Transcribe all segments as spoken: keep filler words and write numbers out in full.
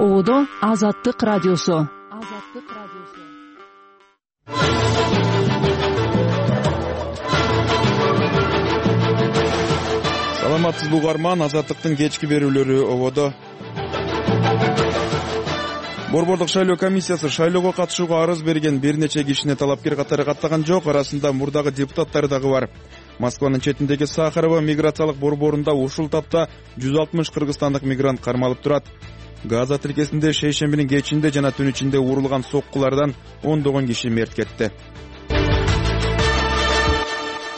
Ободо Азаттык радиосу. Саламатсызбы угарман, Азаттыктын кечки берүүлөрү ободо. Борбордук шайлоо комиссиясы шайлоого катышууга арыз берген бир нече кишини талапкер катары каттаган жок, арасында мурдагы депутаттар дагы бар. Москванын четиндеги Сахарова миграциялык борборунда ушул тапта жүз алтымыш кыргызстандык мигрант кармалып турат. Газа тилкесинде шейшембинин кечинде жана түн ичинде урулган соккулардан ондогон киши мерт кетти.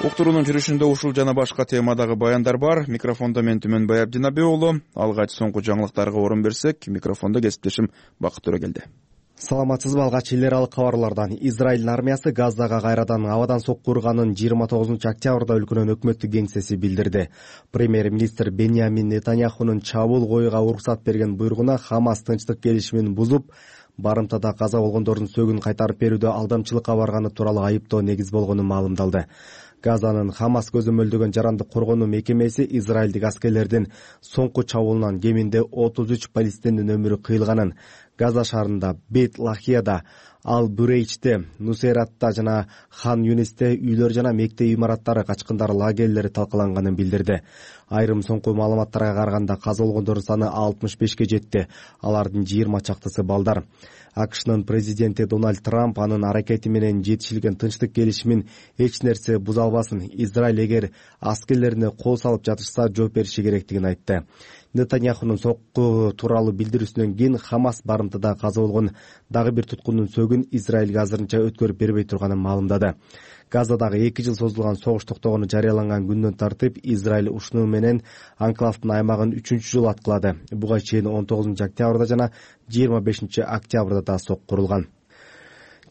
Уктуруунун жүрүшүндө ушул жана башка темадагы баяндар бар. Микрофондо мен Түмөнбай Абдинаби уулу. Алгач соңку жаңылыктарга орун берсек, микрофондо кесиптешим Бакыт Төрөгелди. Саламатсызбы, алгач эл аралык кабарлардан. Израилдин армиясы Газага кайрадан абадан сокку урганын жыйырма тогузунчу октябрда өлкөнүн өкмөттүк кеңсеси билдирди. Премьер-министр Беньямин Нетаньяхунун чабуул коюуга уруксат берген буйругуна Хамас тынчтык келишимин бузуп, барымтада каза болгондордун сөгүн кайтарып берүүдө алдамчылыкка барганы тууралуу айыптоо негиз болгону маалымдалды. Газанын Хамас көзөмөлдөгөн жарандык коргонуу мекемеси израилдик аскерлердин соңку чабуулунан кеминде отуз үч палестиндин өмүрү кыйылганын, Газа шаарында, Бейт-Лахияда, Ал-Бурейчте, Нусейратта жана Хан Юнисте үйлөр жана мектеп имараттары, качкындар лагерлери талкаланганын билдирди. Айрым соңку маалыматтарга караганда каза болгондордун саны алтымыш бешке жетти. Алардын жыйырма чактысы балдар. АКШнын президенти Дональд Трамп анын аракети менен жетишилген тынчтык келишимин эч нерсе буза албасын, Израиль эгер аскерлерине кол салып жатышса жооп бериши керектигин айтты. Нетаньяхунун сокку тууралуу билдирүүсүнөн кийин Хамас барымтада каза болгон дагы бир туткундун сөгүн Израилге азырынча өткөрүп бербей турганын маалымдады. Газадагы эки жыл созулган согуш токтогону жарыяланган күндөн тартып Израиль ушуну менен анклавдын аймагын үчүнчү жолу аткылады. Буга чейин он тогузунчу октябрда жана жыйырма бешинчи октябрда да сокку курулган.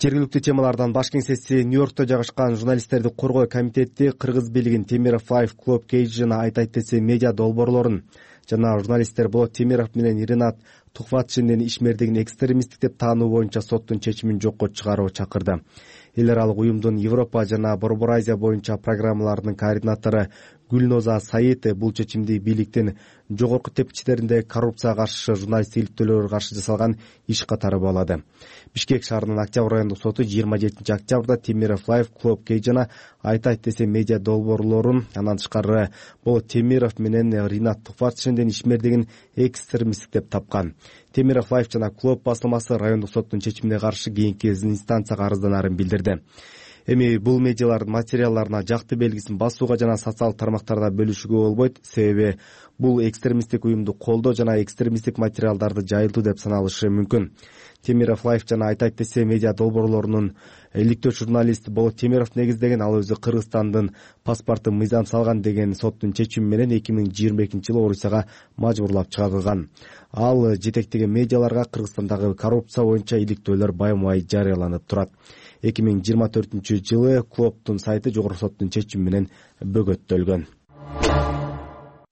Жергиликтүү темалардан баш кеңсеси Нью-Йоркто жайгашкан журналисттерди коргоо комитети кыргыз бийлигин Темиров Лайф Клуб Кейдж жана Айтайт десе медиа долбоорлорун жана журналисттер Болот Темиров менен Ринат Тухватшиндин ишмердигин экстремисттик деп таануу боюнча соттун чечимин жокко чыгарууга чакырды. Эл аралык уюмдун Европа жана Борбор Азия боюнча программаларынын координатору Гүлноза Саид бул чечимди бийликтин жогорку тепкичтеринде коррупцияга каршы журналисттик иликтөөлөргө каршы жасалган иш катары баалады. Бишкек шаарынын Октябрь райондук соту жыйырма жетинчи октябрда Темиров Лайф Клуб Кей жана Айтайт десе медиа долбоорлорун, андан тышкары Болот Темиров менен Ринат Тухватшиндин ишмердигин экстремисттик деп тапкан. Темиров Лайф жана Клуб басылмасы райондук соттун чечимине каршы кийинки инстанцияга арызданарын билдирди. Эми бул медиалардын материалдарына жакты белгисин басууга жана социалдык тармактарда бөлүшүүгө болбойт, себеби бул экстремисттик уюмду колдоо жана экстремисттик материалдарды жайылтуу деп саналышы мүмкүн. Темиров Лайф жана Айтайт десе медиа долбоорлорунун иликтөөчү журналист Болот Темиров негиздеген, ал өзү Кыргызстандын паспортун мыйзам салган деген соттун чечими менен эки миң жыйырма экинчи жылы Орусияга мажбурлап чыгарылган. Ал жетектеген медиаларга Кыргызстандагы коррупция боюнча иликтөөлөр байма-бай жарыяланып турат. эки миң жыйырма төртүнчү жылы клубтун сайты жогорку соттун чечими менен бөгөттөлгөн.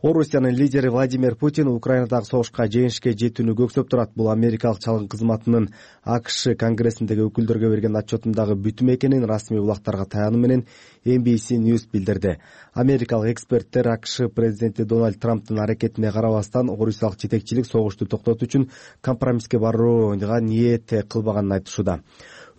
Орусиянын лидери Владимир Путин Украинадагы согушка жеңишке жетүүнү көксөп турат. Бул Америкалык чалгын кызматынын АКШ конгрессиндеги өкүлдөргө берген отчетундагы бүтүм экенин расмий булактарга таянуу менен Эн Би Си News билдирди. Америкалык эксперттер АКШ президенти Дональд Трамптын аракетине карабастан Орусиялык жетекчилик согушту токтотуу үчүн компромисске барууга ниет кылбаганын айтышууда.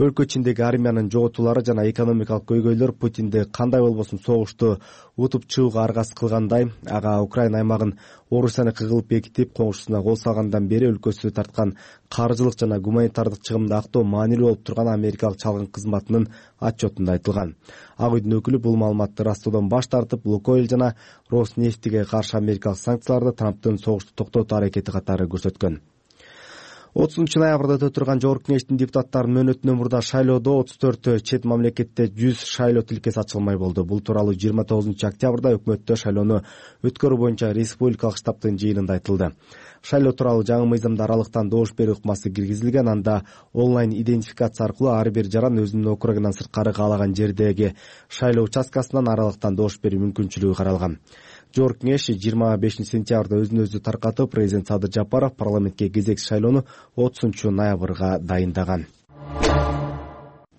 Өлкө ичиндеги армиянын жоготуулары жана экономикалык көйгөйлөр Путинди кандай болбосун согушту утуп чыгууга аргасыз кылгандай. Ага Украина аймагын Орусияныкы кылып бекитип, коңшусуна кол салгандан бери өлкөсү тарткан каржылык жана гуманитардык чыгымды актоо маанилүү болуп турган Америкалык чалгын кызматынын отчетунда айтылган. Ак үйдүн өкүлү бул маалыматты ырастоодан баш тартып, Лукойл жана Роснефтиге каршы Америкалык санкцияларды Трамптын согушту токтотуу аракети катары көрсөткөн. отузунчу ноябрда өтө турган Жогорку Кеңештин депутаттарынын мөөнөтүнөн мурда шайлоодо отуз төрт чет мамлекетте жүз шайлоо тилкеси ачылмай болду. Бул тууралуу жыйырма тогузунчу октябрда өкмөттө шайлоону өткөрүү боюнча республикалык штабтын жыйынында айтылды. Шайлоо тууралуу жаңы мыйзамда аралыктан добуш берүү ыкмасы киргизилген. Анда онлайн идентификация аркылуу ар бир жаран өзүнүн округунан сырткары каалаган жердеги шайлоо участкасынан аралыктан добуш берүү мүмкүнчүлүгү каралган. Жогорку Кеңеш жыйырма бешинчи сентябрда өзүн өзү таркатып, президент Садыр Жапаров парламентке кезекчи шайлоону отузунчу ноябрга дайындаган.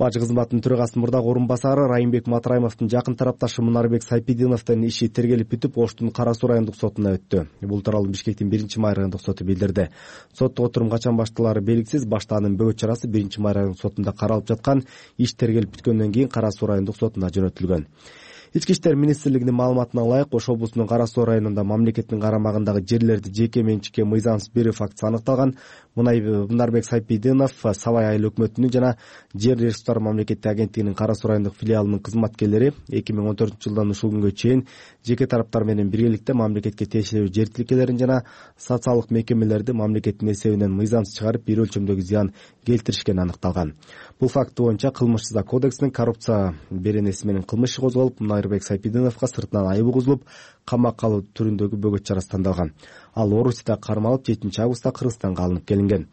Бажы кызматынын төрагасынын мурдагы орун басары Райымбек Матраимовдун жакын тарапташы Мунарбек Сайпидиновдун иши тергелип бүтүп, Оштун Кара Суу райондук сотуна өттү. Бул тууралуу Бишкектин биринчи май райондук соту билдирди. Соттук отурум качан башталары белгисиз, баштаанын бөгөт чарасы биринчи май райондук сотунда каралып жаткан, иш тергелип бүткөндөн кийин Кара Суу райондук сотуна жөнөтүлгөн. Ички иштер министрлигинин маалыматына ылайык, Ош облусунун Кара Суу районунда мамлекеттин карамагындагы жерлерди жеке менчикке мыйзамсыз берүү фактысы аныкталган. Мунарбек Сайпидинов Сабай айыл өкмөтүнүн жана Жер ресурстары мамлекеттик агенттигинин Кара Суу райондук филиалынын кызматкерлери эки миң он төртүнчү жылдан ушул күнгө чейин жеке тараптар менен биргеликте мамлекетке тиешелүү жер тилкелерин жана социалдык мекемелерди мамлекеттин эсебинен мыйзамсыз чыгарып, бир өлчөмдөгү зыян келтиришкени аныкталган. Бул факт боюнча Кылмыш жаза кодексинин коррупция беренеси менен кылмыш иши козголуп, Мунарбек Сайпидиновго сыртынан айып угузулуп, камакка алуу түрүндөгү бөгөт чарасы тандалган. Ал Орусияда кармалып, жетинчи августта Кыргызстанга алынып келинген.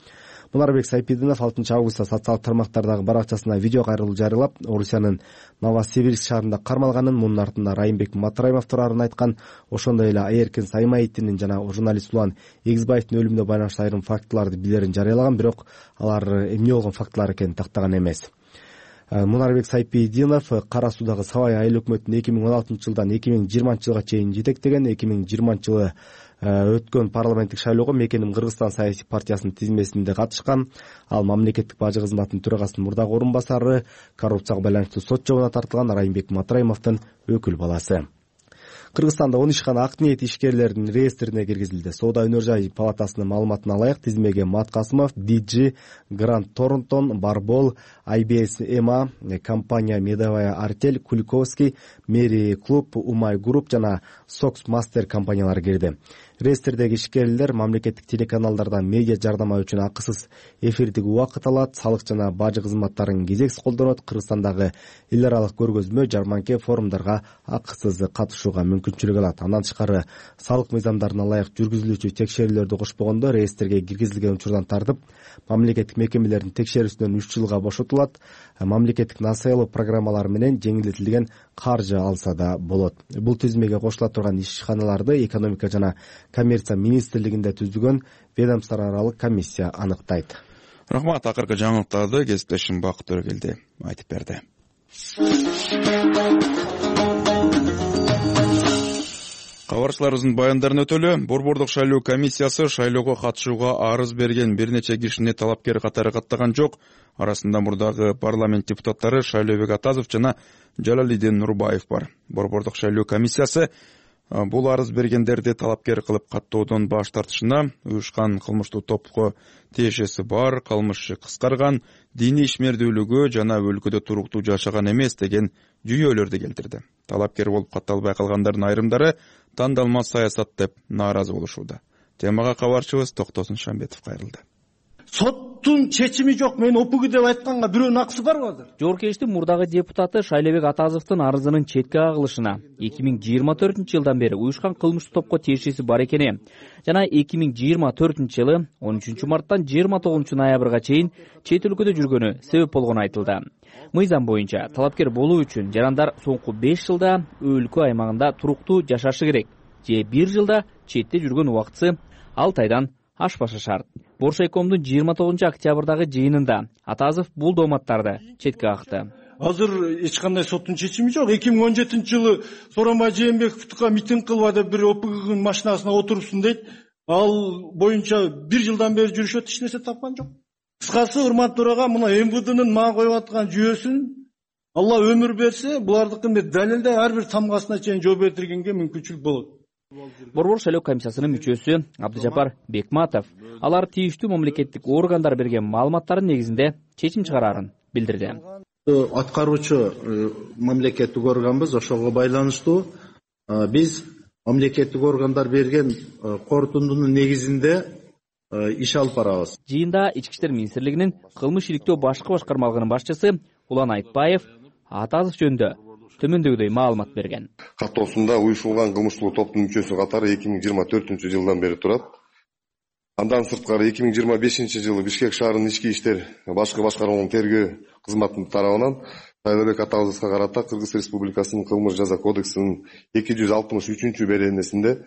Мунарбек Сайпидинов алтынчы августта социалдык тармактардагы баракчасына видео кайрылуу жарыялап, Орусиянын Новосибирск шаарында кармалганын, мунун артында Райымбек Матраимов турарын айткан. Ошондой эле Айеркин Саймаевдин жана журналист Улан Эгизбаевдин өлүмүнө байланыштуу айрым фактыларды билерин жарыялаган, бирок алар эмне болгон фактылар экенин тактаган эмес. Мунарбек Сайпидинов Кара Суудагы Сабай айыл өкмөтүн эки миң он алтынчы жылдан эки миң жыйырманчы жылга чейин жетектеген. эки миң жыйырманчы жылы өткөн парламенттик шайлоого Мекеним Кыргызстан саясий партиясынын тизмесинде катышкан. Ал мамлекеттик бажы кызматынын төрагасынын мурдагы орун басары, коррупцияга байланыштуу сот жообуна тартылган Райымбек Матраимовдун өкүл баласы. Кыргызстанда он ишкана ак ниет ишкерлеринин реестрине киргизилди. Соода өнөр жай палатасынын маалыматына ылайык, тизмеге Мат Касымов, ди джи, Гранд Торнтон, Барбол, ай би эс Эма, компания Медовая Артель, Куликовский, Мери Клуб, Умай Групп жана Сокс Мастер компаниялары кирди. Реестрдеги ишкерлер мамлекеттик телеканалдардан медиа жардама үчүн акысыз эфирдик убакыт алат, салык жана бажы кызматтарын кезексиз колдонот. Кыргызстандагы эл аралык көргөзмө, жарманке, форумдарга акысыз катышууга мүмкүнчүлүк алат. Андан тышкары салык мыйзамдарына ылайык жүргүзүлүүчү текшерүүлөрдү кошпогондо реестрге киргизилген учурдан тартып, мамлекеттик мекемелердин текшерүүсүнөн үч жылга бошотулат. Мамлекеттик насыялоо программалары менен жеңилдетилген каржы алса да болот. Бул тизмеге кошула турган ишканаларды экономика жана коммерция министрлигинде түзүлгөн ведомство аралык комиссия аныктайт. Рахмат. Акыркы жаңылыктарды кесиптешим Бакыт Төрөгелди айтып берди. Кабарчыларыбыздын баяндарын өтөлү. Борбордук шайлоо комиссиясы шайлоого катышууга арыз берген бир нече кишини талапкер катары каттаган жок. Арасында мурдагы парламент депутаттары Шайлообек Атазов жана Жалалидин Нурбаев бар. Борбордук шайлоо комиссиясы бул арыз бергендерди талапкер кылып каттоодон баш тартышына, уюшкан кылмыштуу топко тиешеси бар, кылмышы кыскарган, диний ишмердүүлүгү жана өлкөдө туруктуу жашаган эмес деген жүйөлөрдү келтирди. Талапкер болуп катталбай калгандардын айрымдары тандалма саясат деп нааразы болушууда. Темага кабарчыбыз Токтосун Шамбетов кайрылды. Соттун чечими жок, мен опугу деп айтканга бирөөнүн акысы барбы азыр? Жогоркештин мурдагы депутаты Шайлообек Атазовдун арызынын четке кагылышына эки миң жыйырма төртүнчү жылдан бери уюшкан кылмыштуу топко тиешеси бар экени жана эки миң жыйырма төртүнчү жылы он үчүнчү марттан жыйырма тогузунчу ноябрга чейин чет өлкөдө жүргөнү себеп болгону айтылды. Мыйзам боюнча талапкер болуу үчүн жарандар соңку беш жылда өлкө аймагында туруктуу жашашы керек же бир жылда четте жүргөн убактысы алты айдан ашпашы шарт. Боршайкомдун жыйырма тогузунчу октябрдагы жыйынында Атазов бул дооматтарды четке какты. Азыр эч кандай соттун чечими жок. эки миң он жетинчи жылы Сооронбай Жээнбековго митинг кылып деп бир опугунун машинасына отурупсун дейт. Ал боюнча бир жылдан бери жүрүшөт, эч нерсе тапкан жок. Кыскасы, урматтуу төрага, мына эм вэ дэнин мага коюп аткан жүйөсүн Алла өмүр берсе, булардыкын бир далилдей ар бир тамгасына чейин жооп бердиргенге мүмкүнчүлүк болот. Борбор шайлоо комиссиясынын мүчөсү Абдыжапар Бекматов алар тийиштүү мамлекеттик органдар берген маалыматтардын негизинде чечим чыгарарын билдирди. Аткаруучу мамлекеттик органбыз, ошого байланыштуу биз мамлекеттик органдар берген корутундунун негизинде иш алып барабыз. Жыйында Ички иштер министрлигинин кылмыш иликтөө башкы башкармалыгынын башчысы Улан Айтбаев Атазов жөнүндө төмөндөгүдөй маалымат берген. Каттоосунда уюшулган кылмыштуу топтун мүчөсү катары эки миң жыйырма төртүнчү жылдан бери турат. Андан сырткары эки миң жыйырма бешинчи жылы Бишкек шаарынын ички иштер башкы башкармалыгынын тергөө кызматынын тарабынан Шайлообек Атазовго карата Кыргыз Республикасынын кылмыш жаза кодексинин эки жүз алтымыш үчүнчү беренесинде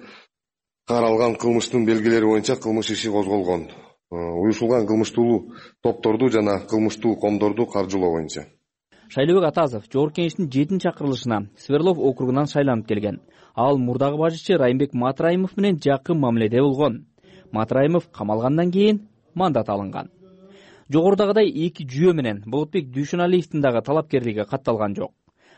каралган кылмыштын белгилери боюнча кылмыш иши козголгон. Уюшулган кылмыштуу топторду жана кылмыштуу коомдорду каржылоо боюнча. Шайлообек Атазов Жогорку Кеңештин жетинчи чакырылышына Свердлов округунан шайланып келген. Ал мурдагы башчы Райымбек Матраимов менен жакын мамиледе болгон. Матраимов камалгандан кийин мандат алынган. Жогорудагыдай эки жүйө менен Болотбек Дүйшөналиевдин дагы талапкерлиги катталган жок.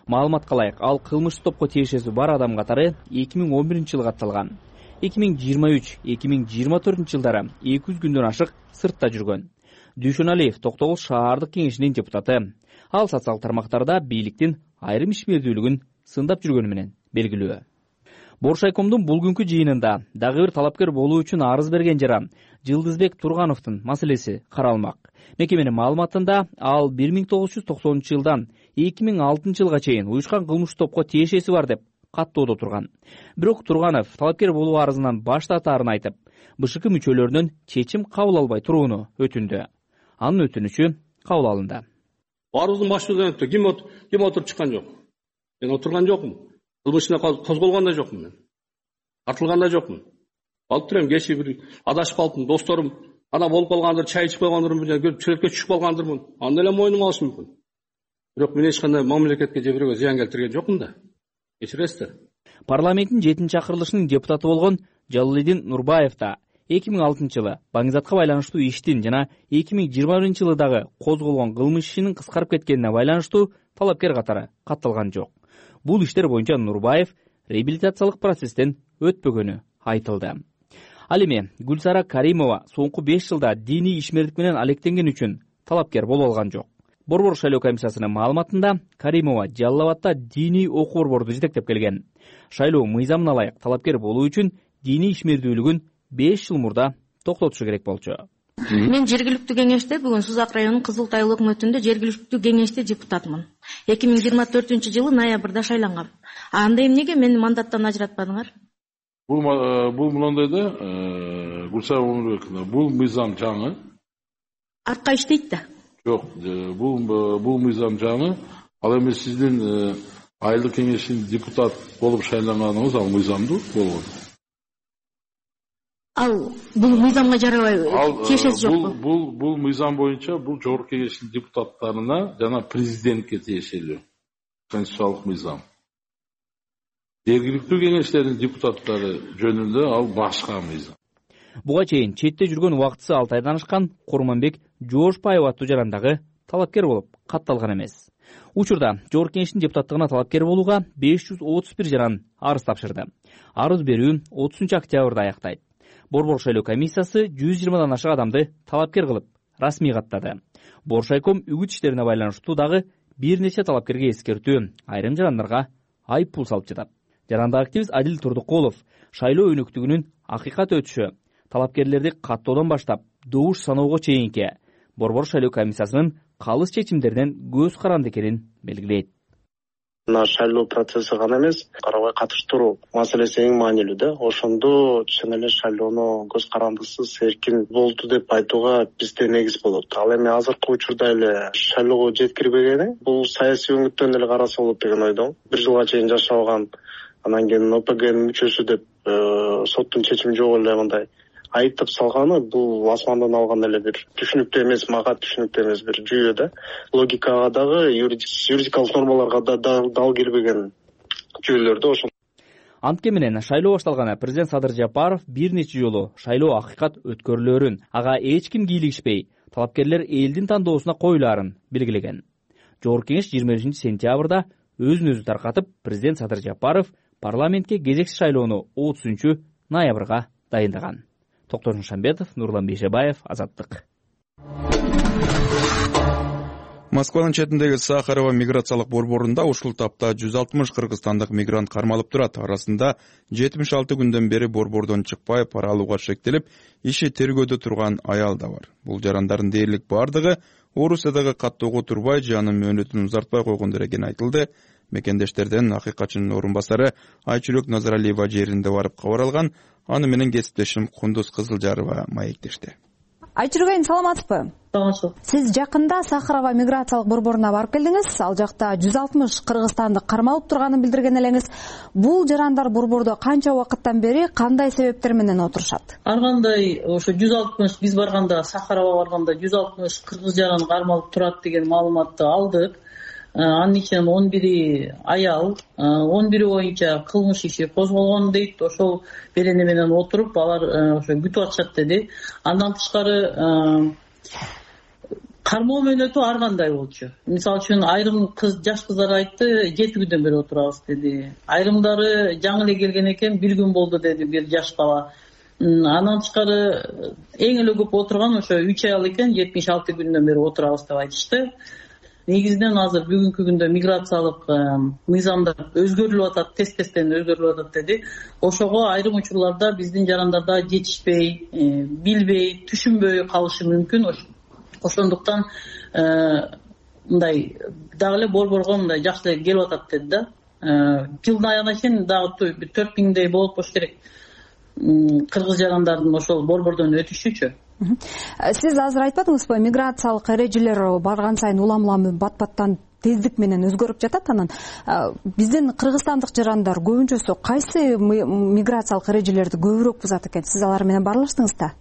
Маалыматка ылайык, ал кылмыштык топко тиешеси бар адам катары эки миң он биринчи жылы катталган. эки миң жыйырма үч эки миң жыйырма төртүнчү жылдары эки жүз күндөн ашык сыртта жүргөн. Дүйшөналиев Токтогул шаардык кеңешинин депутаты. Ал социалдык тармактарда бийликтин айрым ишмердүүлүгүн сындап жүргөнү менен белгилүү. Боршайкомдун бул күнкү жыйынында дагы бир талапкер болуу үчүн арыз берген жара Жылдызбек Тургановдун маселеси каралмак. Мекеменин маалыматында ал бир миң тогуз жүз токсонунчу жылдан эки миң алтынчы жылга чейин уюшкан кылмыштык топко тиешеси бар деп каттоодо турган. Бирок Турганов талапкер болуу арызынан баш тартаарын айтып, БШК мүчөлөрүнөн чечим кабыл албай турууну өтүндү. Анын өтүнүчү кабыл алынды. Арыздын башында ким ким отуруп чыккан жок. Мен отурган жокмун. Кылмышына козголгон да жокмун мен. Тартылган да жокмун. Алып турам, кечээ бир адашып калдым, досторум ана болуп калгандыр, чай ичип койгондурмун менен көрүп сүрөткө түшүп калгандырмын. Аны эле мойнума алышым мүмкүн. Бирок мен эч кандай мамлекетке же бирөөгө зыян келтирген жокмун да. Кечиресиздер. Парламенттин жетинчи чакырылышынын депутаты болгон Жалалидин Нурбаев да эки миң алтынчы жылы Баңгизатка байланыштуу иштин жана эки миң жыйырма биринчи жылы дагы козголгон кылмыш ишинин кыскарып кеткенине байланыштуу талапкер катары катталган жок. Бул иштер боюнча Нурбаев реабилитациялык процесстен өтпөгөнү айтылды. Ал эми Гүлсара Каримова соңку беш жылда диний ишмердик менен алектенген үчүн талапкер боло алган жок. Борбор шайлоо комиссиясынын маалыматында Каримова Жалал Абадта диний окуу борборду жетектеп келген. Шайлоо мыйзамына ылайык талапкер болуу үчүн диний ишмердүүлүгүн беш жыл мурда токтотушу керек болчу. Мен жергиликтүү кеңеште бүгүн Сузак районунун Кызыл Тай өкмөтүндө жергиликтүү кеңеште депутатмын. эки миң жыйырма төртүнчү жылы ноябрда шайлангам. Анда эмнеге мени мандаттан ажыратпадыңар? Бул бул мындай да, Гүлсара Өмүрбековна, бул мыйзам жаңы. Артка иштейт да. Жок, бул бул мыйзам жаңы. Ал эми сиздин айылдык кеңештин депутат болуп шайланганыңыз ал мыйзамдуу болгон. Ал бул мыйзамга жарабай тиешеси жокпу? Бул бул бул мыйзам боюнча бул Жогорку Кеңештин депутаттарына жана президентке тиешелүү конституциялык мыйзам. Жергиликтүү кеңештердин депутаттары жөнүндө ал башка мыйзам. Буга чейин четте жүргөн убактысы алты айдан ашкан Курманбек Жоошбаев аттуу жарандагы талапкер болуп катталган эмес. Учурда Жогорку Кеңештин депутаттыгына талапкер болууга беш жүз отуз бир жаран арыз тапшырды. Арыз берүү отузунчу октябрда аяктайт. Борбор шайлоо комиссиясы жүз жыйырмадан ашык адамды талапкер кылып расмий каттады. Боршайком үгүт иштерине байланыштуу дагы бир нече талапкерге эскертүү, айрым жарандарга айыппул салып жатат. Жарандык активист Адил Турдукулов шайлоо өнөктүгүнүн акыйкат өтүшү, талапкерлерди каттоодон баштап добуш саноого чейинки Борбор шайлоо комиссиясынын калыс чечимдеринен көз каранды экенин белгилейт. Мына шайлоо процесси гана эмес, карабай катыштыруу маселеси эң маанилүү да. Ошондо чын эле шайлоону көз карандысыз эркин болду деп айтууга бизде негиз болот. Ал эми азыркы учурда эле шайлоого жеткирбегени бул саясий өңүттөн эле караса болот деген ойдомун. Бир жылга чейин жашабаган, анан кийин ОПГнын мүчөсү деп соттун чечими жок эле мындай айыптап салганы бул асмандан алган эле бир түшүнүктүү эмес, мага түшүнүктүү эмес бир жүйө да. Логикага дагы, юридикалык нормаларга да дал келбеген жүйөлөр да ошол. Антке менен шайлоо башталганы президент Садыр Жапаров бир нече жолу шайлоо акыйкат өткөрүлөрүн, ага эч ким кийлигишпей, талапкерлер элдин тандоосуна коюлаарын белгилеген. Жогорку Кеңеш жыйырма бешинчи сентябрда өзүн өзү таркатып, президент Садыр Жапаров парламентке кезекси шайлоону отузунчу ноябрга дайындаган. Токтор Шамбетов, Нурлан Бейшебаев, Азаттык. Москванын четиндеги Сахарова миграциялык борборунда ушул тапта жүз алтымыш кыргызстандык мигрант кармалып турат. Арасында жетимиш алты күндөн бери борбордон чыкпай пара алууга шектелип, иши тергөөдө турган аял да бар. Бул жарандардын дээрлик бардыгы Орусиядагы каттоого турбай, же анын мөөнөтүн узартпай койгондор экени айтылды. Мекендештерден акыйкатчынын орун басары Айчүрөк Назаралиева жеринде барып кабар алган. Аны менен кесиптешим Кундуз Кызылжарова маектешти. Айчүрөк айым, саламатсызбы? Саламатсызбы. Сиз жакында Сахарова миграциялык борборуна барып келдиңиз. Ал жакта жүз алтымыш кыргызстандык кармалып турганын билдирген элеңиз. Бул жарандар борбордо канча убакыттан бери кандай себептер менен отурушат? Ар кандай ошо жүз алтымыш биз барганда, Сахарова барганда жүз алтымыш кыргыз жаран кармалып турат деген маалыматты алдык. анын ичинен он бири аял, он бири боюнча кылмыш иши козголгон дейт. Ошол берене менен отуруп алар ошо күтүп атышат деди. Андан тышкары кармоо мөөнөтү ар кандай болчу. Мисалы үчүн айрым кыз жаш кыздар айтты, жети күндөн бери отурабыз деди. Айрымдары жаңы эле келген экен, бир күн болду деди бир жаш бала. Андан тышкары эң эле көп отурган ошо үч аял экен, жетимиш алты күндөн бери отурабыз деп айтышты. Негизинен азыр бүгүнкү күндө миграциялык мыйзамдар өзгөрүлүп атат, тез-тезден өзгөрүлүп атат деди. Ошого айрым учурларда биздин жарандарда жетишпей, билбей, түшүнбөй калышы мүмкүн. Ошондуктан мындай дагы эле борборго мындай жакшы эле келип атат деди да. Жылдын аягына чейин дагы бир төрт миңдей болуп болуш керек. Кыргыз жарандардын ошол борбордон өтүшүчү. Сиз азыр айтпадыңызбы, миграциялык эрежелер барган сайын улам улам бат-баттан тездик менен өзгөрүп жатат. Анан биздин кыргызстандык жарандар көбүнчөсү кайсы миграциялык эрежелерди көбүрөөк бузат экен? Сиз алар менен баарлаштыңыз да?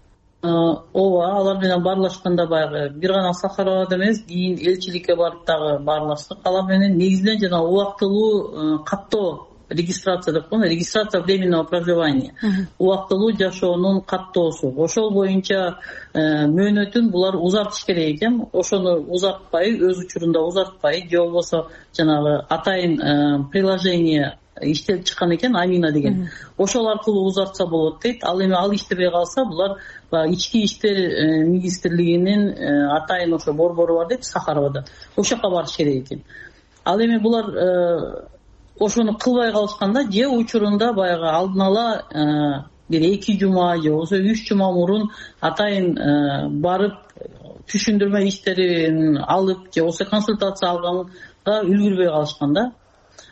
Ооба, алар менен баарлашканда баягы бир гана Сахаровада эмес, кийин элчиликке барып дагы баарлаштык. Алар менен негизинен жана убактылуу каттоо регистрация деп коет, регистрация временного проживания. Убактылуу жашоонун каттоосу. Ошол боюнча мөөнөтүн булар узартыш керек экен. Ошону узартпай, өз учурунда узартпай, же болбосо жанагы атайын приложение иштелип чыккан экен, Амина деген. Ошол аркылуу узартса болот дейт. Ал эми ал иштебей калса, булар ички иштер министрлигинин атайын ошо борбору бар дейт, Сахаровада. Ошол жака барыш керек экен. Ал эми булар ошону кылбай калышканда, же учурунда баягы алдын ала бир эки жума же болбосо үч жума мурун атайын барып түшүндүрмө иштерин алып же болбосо консультация алганга үлгүрбөй калышкан да.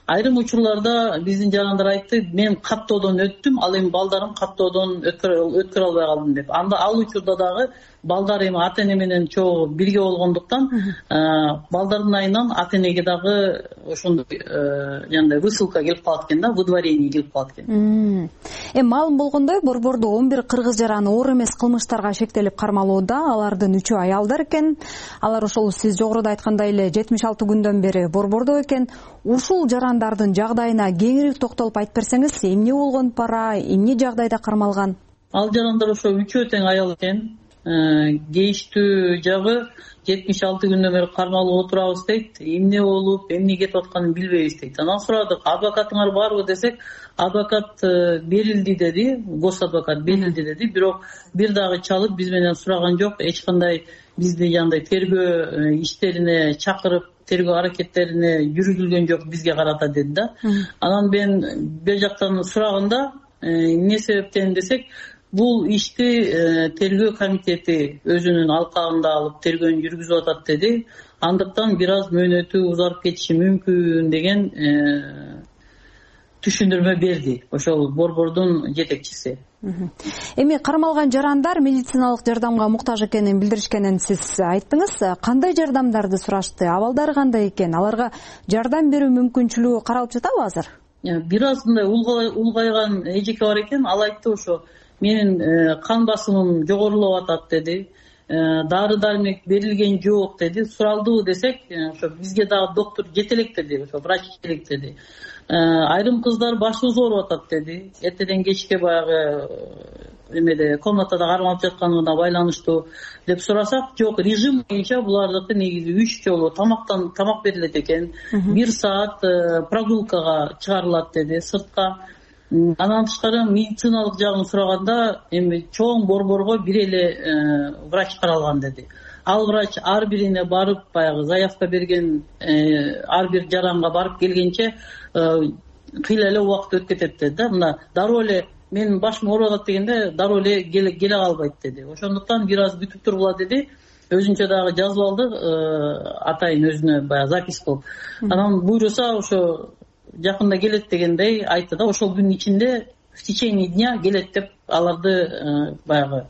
Айрым учурларда биздин жарандар айтты, мен каттоодон өттүм, ал эми балдарым каттоодон өткөрө албай калдым деп. Анда ал учурда дагы балдар эми ата эне менен чогуу бирге болгондуктан балдардын айынан ата энеге дагы ошондой жандай высылка келип калат экен да, выдворение келип калат экен. Эми маалым болгондой, борбордо он бир кыргыз жараны оор эмес кылмыштарга шектелип кармалууда. Алардын үчөө аялдар экен. Алар ошол сиз жогоруда айткандай эле жетимиш алты күндөн бери борбордо экен. Ушул жарандардын жагдайына кеңири токтолуп айтып берсеңиз, эмне болгон пара, эмне жагдайда кармалган? Ал жарандар ошо үчөө тең аял экен. Кейиштүү жагы жетимиш алты күндөн бери кармалып отурабыз дейт. Эмне болуп, эмне кетип атканын билбейбиз дейт. Анан сурадык, адвокатыңар барбы десек, адвокат берилди деди, гос адвокат берилди деди. Бирок бир дагы чалып биз менен сураган жок, эч кандай бизди жандай тергөө иштерине чакырып, тергөө аракеттерине жүргүзүлгөн жок бизге карата деди да. Анан мен бер жактан сураганда эмне себептен десек, бул ишти тергөө комитети өзүнүн алкагында алып тергөөнү жүргүзүп атат деди. Андыктан бир аз мөөнөтү узарып кетиши мүмкүн деген түшүндүрмө берди ошол борбордун жетекчиси. Эми кармалган жарандар медициналык жардамга муктаж экенин билдиришкенин сиз айттыңыз. Кандай жардамдарды сурашты? Абалдары кандай экен? Аларга жардам берүү мүмкүнчүлүгү каралып жатабы азыр? Бир аз мындай улгайган эжеке бар экен. Ал айтты ошо, менин кан басымым жогорулап атат деди. Дары дармек берилген жок деди. Суралдыбы десек, ошо бизге дагы доктор жете элек деди, ошо врач жете элек деди. Айрым кыздар башыбыз ооруп атат деди. Эртеден кечке баягы эмеде комнатада кармалып жатканына байланыштуу деп сурасак, жок, режим боюнча булардыкы негизи үч жолу тамактан тамак берилет экен. Бир саат прогулкага чыгарылат деди, сыртка. Анан тышкары медициналык жагын сураганда, эми чоң борборго бир эле врач каралган деди. Ал врач ар бирине барып, баягы заявка берген ар бир жаранга барып келгенче кыйла эле убакыт өтүп кетет деди да. Мына дароо эле менин башым ооруп атат дегенде дароо эле келе калбайт деди. Ошондуктан бир аз күтүп тургула деди. Өзүнчө дагы жазып алды, атайын өзүнө баягы запись кылып. Анан буйруса ошо жакында келет дегендей айтты да, ошол күнүн ичинде в течение дня келет деп аларды баягы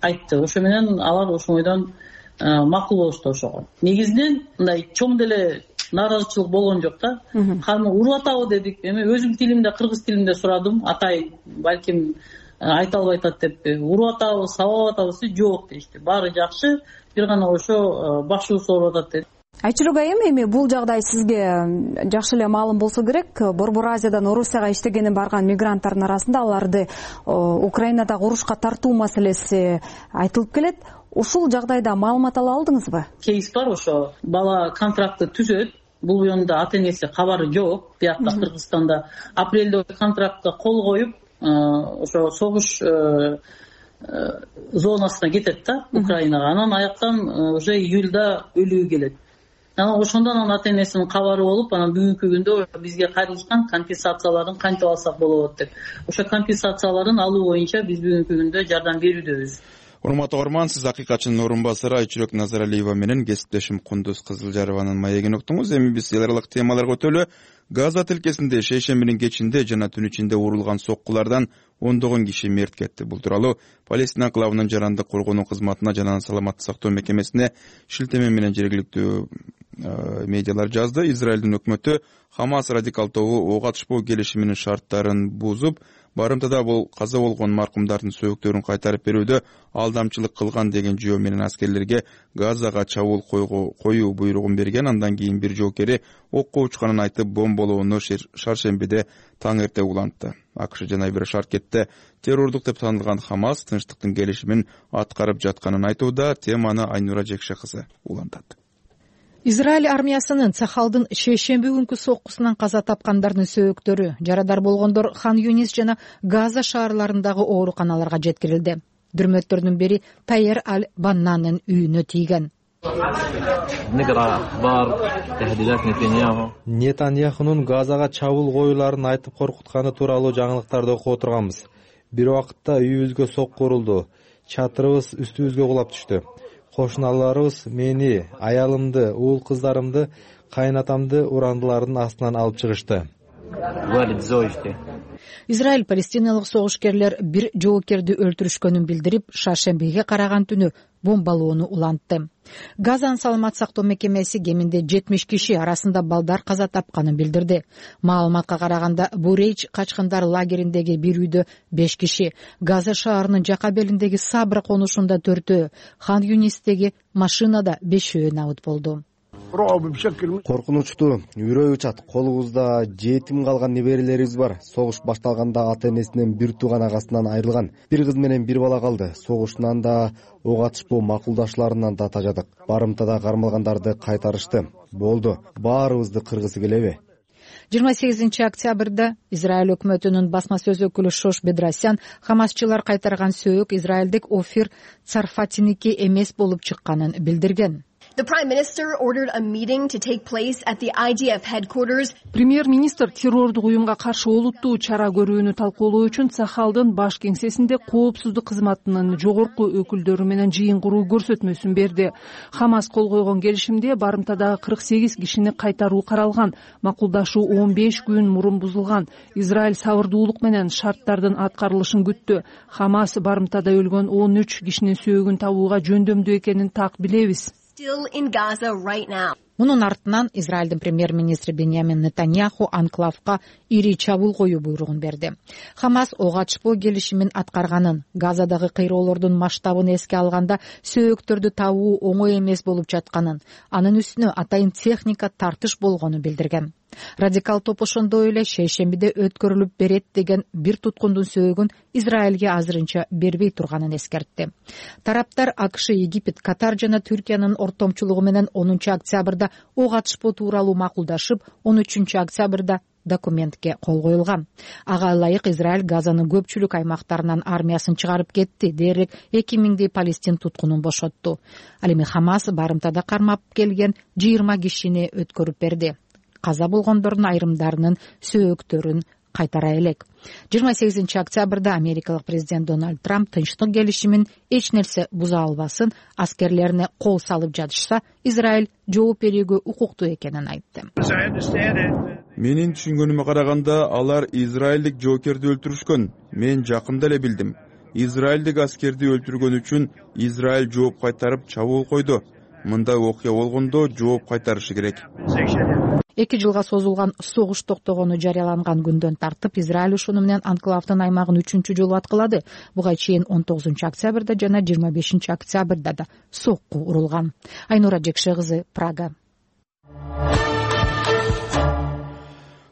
айтты. Ошо менен алар ошондон макул болушту ошого. Негизинен мындай чоң деле нааразычылык болгон жок да. Каны уруп атабы дедик. Эми өзүм тилимде, кыргыз тилинде сурадым. Атай балким айта албай атат деп, уруп атабы, сабап атабы, жок дешти. Баары жакшы, бир гана ошо башыбыз ооруп атат деди. Айчылык айым, эми бул жагдай сизге жакшы эле маалым болсо керек. Борбор Азиядан Орусияга иштегени барган мигранттардын арасында аларды Украинадагы урушка тартуу маселеси айтылып келет. Ушул жагдайда маалымат ала алдыңызбы? Кейс бар, ошо бала контрактты түзөт, бул жөнүндө ата энеси кабары жок. Биякта Кыргызстанда апрелде контрактка кол коюп, ошо согуш зонасына кетет да, Украинага. Анан аяктан уже июльда өлүгү келет. Анан ошондон анан ата энесинин кабары болуп, анан бүгүнкү күндө бизге кайрылышкан компенсацияларын кантип алсак болот деп. Ошо компенсацияларын алуу боюнча биз бүгүнкү күндө жардам берүүдөбүз. Урматтуу угарман, сиз акыйкатчынын орун басары Айчүрөк Назаралиева менен кесиптешим Кундуз Кызылжарованын маегин уктуңуз. Эми биз эл аралык темаларга өтөлү. Газа тилкесинде шейшембинин кечинде жана түн ичинде урулган соккулардан ондогон киши мерт кетти. Бул тууралуу Палестина анклавынын жарандык коргонуу кызматына жана саламаттык сактоо мекемесине шилтеме менен жергиликтүү медиалар жазды. Израилдин өкмөтү Хамас радикал тобу ок атышпоо келишиминин шарттарын бузуп, барымтада бул каза болгон маркумдардын сөөктөрүн кайтарып берүүдө алдамчылык кылган деген жөө менен аскерлерге Газага чабуул коюу буйругун берген. Андан кийин бир жоокери окко учканын айтып, бомболоону шаршембиде таң эрте улантты. АКШ жана бир шаркетте террордук деп танылган Хамас тынчтыктын келишимин аткарып жатканын айтууда. Теманы Айнура Жекше кызы улантат. Израиль армиясынын Цахалдын шейшемби күнкү соккусунан каза тапкандардын сөөктөрү, жарадар болгондор Хан Юнис жана Газа шаарларындагы ооруканаларга жеткирилди. Дүрмөттөрдүн бири Тайер Аль-Баннанын үйүнө тийген. Нетаньяхунун Газага чабуул коюуларын айтып коркутканы тууралуу жаңылыктарды окуп отурганбыз. Бир убакытта үйүбүзгө сокку урулду. Чатырыбыз үстүбүзгө кулап түштү. Кошуналарыбыз мени, аялымды, уул кыздарымды, кайнатамды урандылардын астынан алып чыгышты. Израиль палестиналык согушкерлер бир жоокерди өлтүрүшкөнүн билдирип, шаршембиге караган түнү бомбалоону улантты. Газанын саламат сактоо мекемеси кеминде жетимиш киши, арасында балдар каза тапканын билдирди. Маалыматка караганда Бурейч качкындар лагериндеги бир үйдө беш киши, Газа шаарынын жака белиндеги Сабра конушунда төртөө, Хан Юнистеги машинада бешөө набыт болду. Коркунучтуу, үрөй учат. Колубузда жетим калган неберелерибиз бар. Согуш башталганда ата энесинен бир тууган агасынан айрылган. Бир кыз менен бир бала калды. Согуштан да, ок атышпоо макулдашларынан да тажадык. Барымтада кармалгандарды кайтарышты. Болду. Баарыбызды кыргысы келеби? жыйырма сегизинчи октябрда Израиль өкмөтүнүн басма сөз өкүлү Шош Бедрасян хамасчылар кайтарган сөök израилдик Офир Царфатиники эмес болуп чыкканын билдирген. The Prime Minister ordered a meeting to take place at the I D F headquarters. Премьер-министр террордук уюмга каршы олуттуу чара көрүүнү талкуулоо үчүн Цахалдын баш кеңсесинде коопсуздук кызматынын жогорку өкүлдөрү менен жыйын куруу көрсөтмөсүн берди. Хамас кол койгон келишимде барымтадагы кырк сегиз кишини кайтаруу каралган. Макулдашуу он беш күн мурун бузулган. Израиль сабырдуулук менен шарттардын аткарылышын күттү. Хамас барымтада өлгөн он үч кишинин сөөгүн табууга жөндөмдүү экенин так билебиз. Still in Gaza right now. Мунун артынан Израилдин премьер-министри Беньямин Нетаньяху анклавга ири чабуул коюу буйругун берди. Хамас ок атышпоо келишимин аткарганын, Газадагы кыйроолордун масштабын эске алганда сөөктөрдү табуу оңой эмес болуп жатканын, анын үстүнө атайын техника тартыш болгонун билдирген. Радикал топ ошондой эле шейшембиде өткөрүлүп берет деген бир туткундун сөөгүн Израилге азырынча бербей турганын эскертти. Тараптар АКШ, Египет, Катар жана Түркиянын ортомчулугу менен онунчу октябрда ок атышпоо тууралуу макулдашып, он үчүнчү октябрда документке кол коюлган. Ага ылайык Израиль Газанын көпчүлүк аймактарынан армиясын чыгарып кетти, дээрлик эки миңдей палестин туткунун бошотту. Ал эми Хамас барымтада кармап келген жыйырма кишини өткөрүп берди. Каза болгондордун айрымдарынын сөөктөрүн кайтара элек. жыйырма сегизинчи октябрда америкалык президент Дональд Трамп тынчтык келишимин эч нерсе буза албасын, аскерлерине кол салып жатышса, Израиль жооп берүүгө укуктуу экенин айтты. Менин түшүнгөнүмө караганда, алар израилдик жоокерди өлтүрүшкөн. Мен жакында эле билдим. Израилдик аскерди өлтүргөн үчүн Израиль жооп кайтарып чабуул койду. Мындай окуя болгондо жооп кайтарышы керек. Эки жылга созулган согуш токтогону жарыяланган күндөн тартып, Израиль ушуну менен анклавдын аймагын үчүнчү жолу аткылады. Буга чейин он тогузунчу октябрда жана жыйырма бешинчи октябрда да сокку урулган. Айнура Жекше кызы, Прага.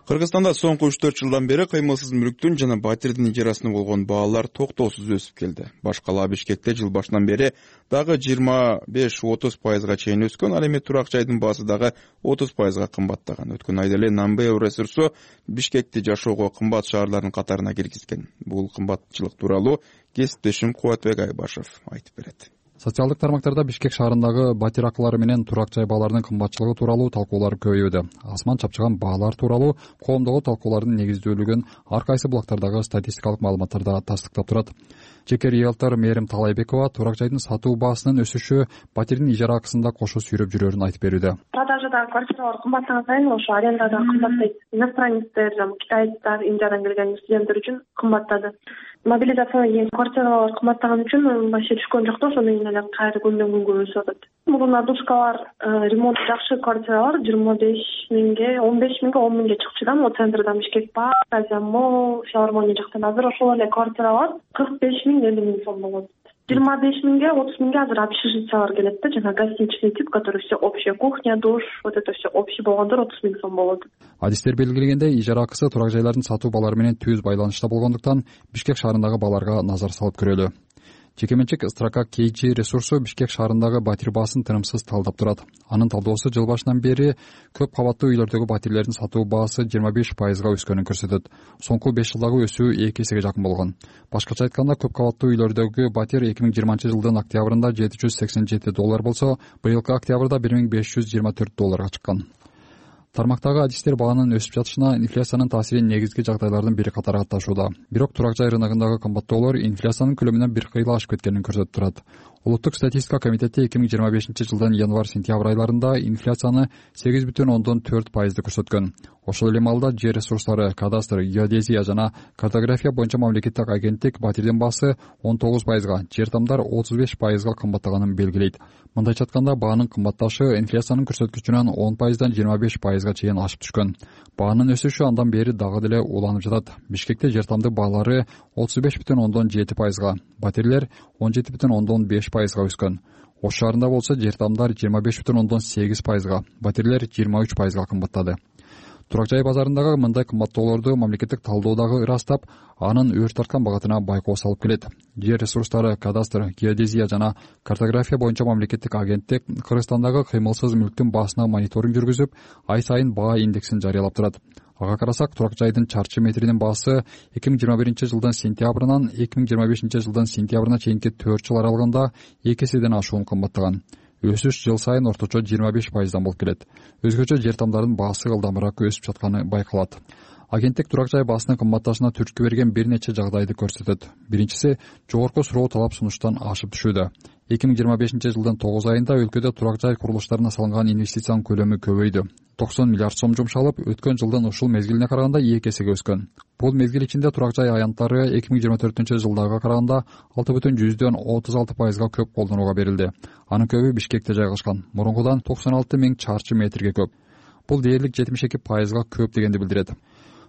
Кыргызстанда соңку үч төрт жылдан бери кыймылсыз мүлктүн жана батирдин ижарасына болгон баалар токтоосуз өсүп келди. Башка эле Бишкекте жыл башынан бери дагы жыйырма беш отуз пайызга чейин өскөн, ал эми турак жайдын баасы дагы отуз пайызга кымбаттаган. Өткөн айда эле Намбео ресурсу Бишкекти жашоого кымбат шаарлардын катарына киргизген. Бул кымбатчылык тууралуу кесиптешим Кубатбек Айбашев айтып берет. Социалдык тармактарда Бишкек шаарындагы батир акылары менен турак жай бааларынын кымбатчылыгы тууралуу талкуулар көбөйүүдө. Асман чапчыган баалар тууралуу коомдогу талкуулардын негиздүүлүгүн ар кайсы булактардагы статистикалык маалыматтарда тастыктап турат. Жеке риэлтор Мээрим Талайбекова турак жайдын сатуу баасынын өсүшү батирдин ижара акысында кошо сүйрөп жүрөрүн айтып берүүдө. Продажадагы квартиралар кымбаттаган сайын ошо аренда да кымбаттайт. Иностранецтер, китайдыктар, Индиядан келген студенттер үчүн кымбаттады. Мобилизацияга кийин квартиралар кымбаттаган үчүн вообще түшкөн жок да, ошону менен эле кайра күндөн күнгө өсүп атат. Мурун душкалар, ремонт жакшы квартиралар жыйырма беш миңге, он беш миңге, он миңге чыкчу да, могу центрда Бишкек Парк, Азия Молл, Филармония жактан. Азыр ошол эле квартиралар кырк беш миң, элүү миң сом болот. жыйырма беш миңге, отуз миңге азыр общежитиялар келет да, жана гостиничный тип, который все общая кухня, душ, вот это все общий болгондор отуз миң сом болот. Адистер белгилегендей, ижара акысы турак жайлардын сатуу баалары менен түз байланышта болгондуктан Бишкек шаарындагы бааларга назар салып көрөлү. Жекеменчик Строка кей джи ресурсу Бишкек шаарындагы батир баасын тынымсыз талдап турат. Анын талдоосу жыл башынан бери көп кабаттуу үйлөрдөгү батирлердин сатуу баасы жыйырма беш пайызга өскөнүн көрсөтөт. Соңку беш жылдагы өсүү эки эсеге жакын болгон. Башкача айтканда, көп кабаттуу үйлөрдөгү батир эки миң жыйырманчы жылдын октябрында жети жүз сексен жети доллар болсо, быйылкы октябрда бир миң беш жүз жыйырма төрт долларга чыккан. Тармактагы адистер баанын өсүп жатышына инфляциянын таасирин негизги жагдайлардын бири катары катташууда. Бирок турак жай рыногундагы кымбаттоолор инфляциянын көлөмүнөн бир кыйла ашып кеткенин көрсөтүп турат. Улуттук статистика комитети эки миң жыйырма бешинчи жылдын январь-сентябрь айларында инфляцияны сегиз бүтүн ондон төрт пайызды көрсөткөн. Ошол эле маалда жер ресурстары, кадастр, геодезия жана картография боюнча мамлекеттик агенттик батирдин баасы он тогуз пайызга, жер тамдар отуз беш пайызга кымбаттаганын белгилейт. Мындайча айтканда, баанын кымбатташы инфляциянын көрсөткүчүнөн он пайыздан жыйырма беш пайызга чейин ашып түшкөн. Баанын өсүшү андан бери дагы деле уланып жатат. Бишкекте жер тамды баалары отуз беш бүтүн ондон жети пайызга, батирлер он жети бүтүн ондон беш пайызга өскөн. Ош шаарында болсо жер тамдар жыйырма беш бүтүн ондон сегиз пайызга, батирлер жыйырма үч пайызга кымбаттады. Турак жай базарындагы мындай кымбаттоолорду мамлекеттик талдоодагы ырастап, анын өрт тарткан багытына байкоо салып келет. Жер ресурстары, кадастр, геодезия жана картография боюнча мамлекеттик агенттик Кыргызстандагы кыймылсыз мүлктүн баасына мониторинг жүргүзүп, ай сайын баа индексин жарыялап турат. Ага карасак, турак жайдын чарчы метринин баасы эки миң жыйырма биринчи жылдын сентябрынан эки миң жыйырма бешинчи жылдын сентябрына чейинки төрт жыл аралыгында эки эседен ашуун кымбаттаган. Өсүш жыл сайын орточо жыйырма беш пайыздан болуп келет. Өзгөчө жер тамдардын баасы ылдамыраак өсүп жатканы байкалат. Агенттик турак жай баасынын кымбатташына түрткү берген бир нече жагдайды көрсөтөт. Биринчиси, жогорку суроо талап сунуштан ашып түшүүдө. эки миң жыйырма бешинчи жылдын тогуз айында өлкөдө турак жай курулуштарына салынган инвестициянын көлөмү көбөйдү. токсон миллиард сом жумшалып, өткөн жылдын ушул мезгилине караганда эки эсеге өскөн. Бул мезгил ичинде турак жай аянттары эки миң жыйырма төртүнчү жылдагыга караганда алты бүтүн жүздөн отуз алты пайызга көп колдонууга берилди. Анын көбү Бишкекте жайгашкан. Мурункудан токсон алты миң чарчы метрге көп. Бул дээрлик жетимиш эки пайызга көп дегенди билдирет.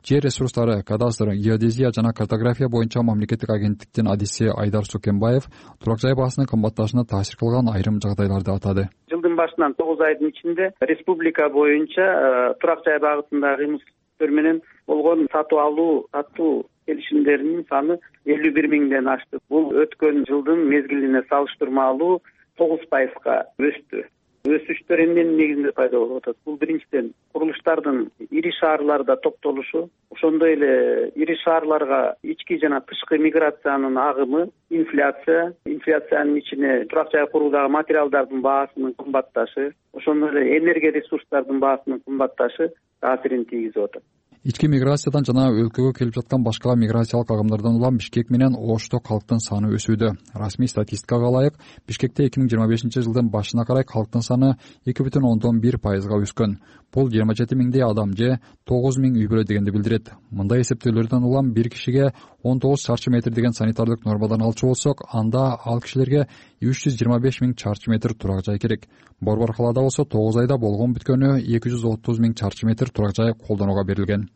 Жер ресурстары, кадастр, геодезия жана картография боюнча мамлекеттик агенттиктин адиси Айдар Сукенбаев турак жай баасынын кымбатташына таасир кылган айрым жагдайларды атады. Жылдын башынан тогуз айдын ичинде республика боюнча турак жай багытындагы кыймылсыздыктар менен болгон сатып алуу, сатуу келишимдеринин саны элүү бир миңден ашты. Бул өткөн жылдын мезгилине салыштырмалуу тогуз пайызга өстү. Өсүштөр эмненин негизинде пайда болуп атат? Бул биринчиден курулуштардын ири шаарларда топтолушу, ошондой эле ири шаарларга ички жана тышкы миграциянын агымы, инфляция, инфляциянын ичине турак жай куруудагы материалдардын баасынын кымбатташы, ошондой эле энергия ресурстардын баасынын кымбатташы таасирин тийгизип атат. Ички миграциядан жана өлкөгө келип жаткан башка миграциялык агымдардан улам Бишкек менен Ошто калктын саны өсүүдө. Расмий статистикага ылайык, Бишкекте эки миң жыйырма бешинчи жылдын башына карай калктын саны эки бүтүн ондон бир пайызга өскөн. Бул жыйырма жети миңдей адам же тогуз миң үй бүлө дегенди билдирет. Мындай эсептөөлөрдөн улам бир кишиге он тогуз чарчы метр деген санитардык нормадан алчу болсок, анда ал кишилерге үч жүз жыйырма беш миң чарчы метр турак жай керек. Борбор калаада болсо тогуз айда болгон бүткөнү эки жүз отуз миң чарчы метр турак жай колдонууга берилген.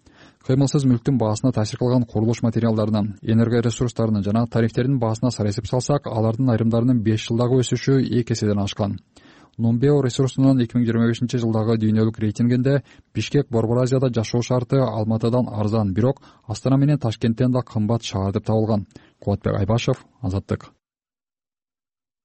Кыймылсыз мүлктүн баасына таасир кылган курулуш материалдарынын, энергоресурстарынын жана тарифтердин баасына сара эсеп салсак, алардын айрымдарынын беш жылдагы өсүшү эки эседен ашкан. Numbeo ресурсунун эки миң жыйырма бешинчи жылдагы дүйнөлүк рейтингинде Бишкек Борбор Азияда жашоо шарты Алматыдан арзан, бирок Астана менен Ташкенттен да кымбат шаар деп табылган. Кубатбек Айбашев, Азаттык.